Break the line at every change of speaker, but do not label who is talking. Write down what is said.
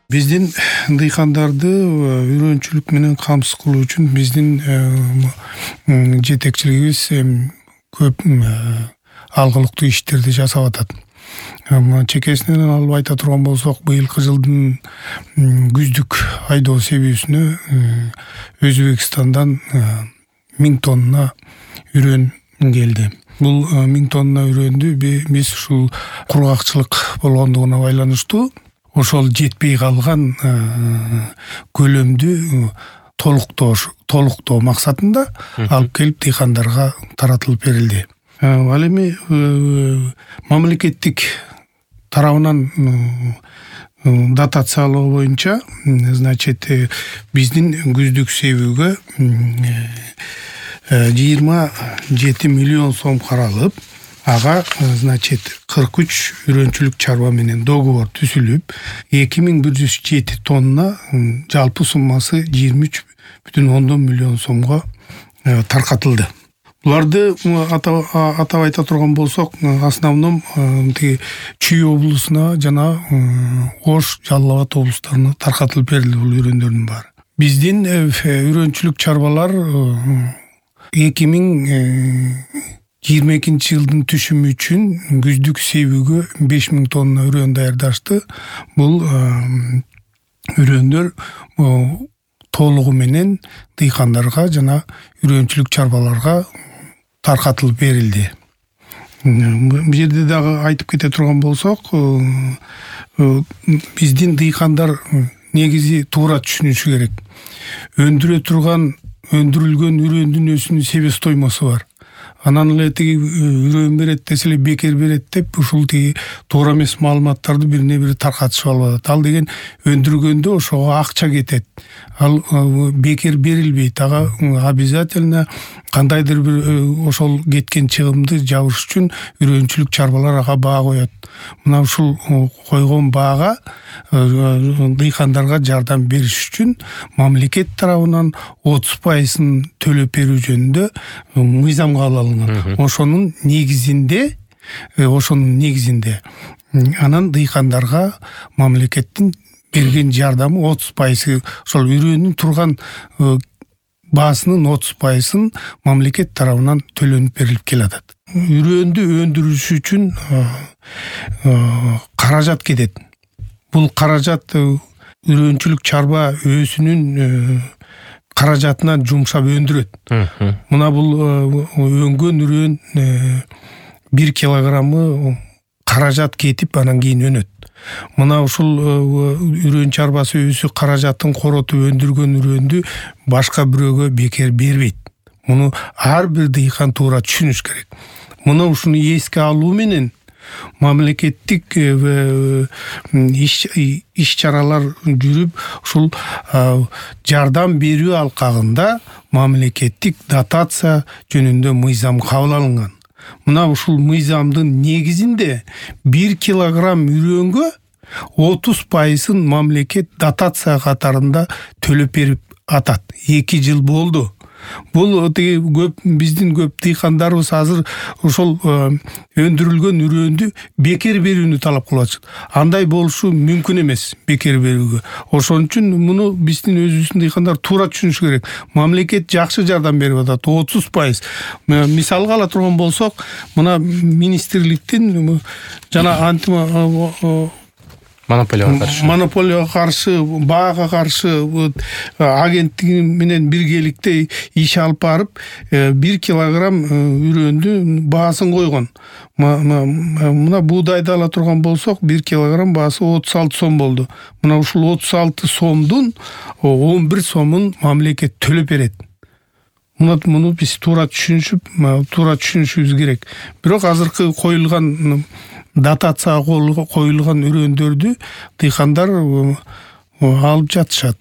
Биздин дыйкандарды үйрөнчүлүк менен камсыз кылуу үчүн биздин жетекчилигибиз көп алгылыктуу иштерди жасап атат. Чекесинен алып айта турган болсок, быйылкы жылдын күздүк айдоо себүүсүнө Өзбекстандан 1000 тонна үрөн келди. Бул 1000 тонна үрөндү биз ушул кургакчылык болгондугуна байланыштуу ошол жетпей калган көлөмдү толуктоо максатында алып келип дыйкандарга таратылып берилди. Ал эми мамлекеттик тарабынан дотациялоо боюнча, биздин күздүк себүүгө 27 миллион сом каралып, ага 43 үрөнчүлүк чарба менен договор түзүлүп, 2107 тонна жалпы суммасы 23,10 миллион сомго таркатылды. Буларды атап айта турган болсок, основном Чүй облусуна жана Ош, Жалал Абад облустарына таркатылып берилди бул үрөндөрдүн баары. Биздин үрөнчүлүк чарбалар 2022 жылдын түшүмү үчүн күздүк себүүгө 5000 тонна үрөн даярдашты. Бул үрөндөр толугу менен дыйкандарга жана үрөнчүлүк чарбаларга таркатылып берилди. Бул жерде дагы айтып кете турган болсок, биздин дыйкандар негизи туура түшүнүшү керек. Өндүрүлгөн үрөндүн өзүнүн себестоймосу бар. Анан эле тиги үрөн берет десе эле бекер берет деп ушул тиги туура эмес маалыматтарды бирине бири таркатышып алып атат. Ал деген өндүргөндө ошого акча кетет. Ал бекер берилбейт. Ага обязательно кандайдыр бир ошол кеткен чыгымды жабыш үчүн үрөнчүлүк чарбалар ага баа коет. Мына ушул койгон баага дыйкандарга жардам бериш үчүн мамлекет тарабынан 30% төлөп берүү жөнүндө мыйзам кабыл алынган. Ошонун негизинде анан дыйкандарга мамлекеттин берген жардамы 30%, ошол үрөнүн турган баасынын 30%-ын мамлекет тарабынан төлөнүп берилип келатат. Үрөндү өндүрүш үчүн каражат кетет. Бул каражат үрөнчүлүк чарба өзүнүн каражатынан жумшап өндүрөт. Мына бул өнгөн үрөн 1 килограммы каражат кетип анан кийин өнөт. Мына ушул үрөн чарбасы өзү каражатын коротуп өндүргөн үрөндү башка бирөөгө бекер бербейт. Муну ар бир дыйкан туура түшүнүш керек. Муну ушуну эске алуу менен мамлекеттик иш чаралар жүрүп, ушул жардам берүү алкагында мамлекеттик дотация жөнүндө мыйзам кабыл алынган. Мына ушул мыйзамдын негизинде 1 килограмм үрөнгө 30%-ын мамлекет дотация катарында төлөп берип атат. 2 жыл болду. Бул биздин көп дыйкандарыбыз азыр ошол өндүрүлгөн үрөндү бекер берүүнү талап кылып атышат. Андай болушу мүмкүн эмес, бекер берүүгө. Ошон үчүн муну биздин өзүбүздүн дыйкандар туура түшүнүш керек. Мамлекет жакшы жардам берип атат, 30%. Мисалга ала турган болсок, мына министрликтин жана монополияга каршы, баага каршы агенттиги менен биргеликте иш алып барып, 1 килограмм үрөндү баасын койгон. Мына буудайды ала турган болсок, 1 килограмм баасы 36 сом болду. Мына ушул 36 сомдун 11 сомун мамлекет төлөп берет. Муну биз туура түшүнүшүбүз керек. Бирок азыркы коюлган дотацияга коюлган үрөндөрдү дыйкандар алып жатышат.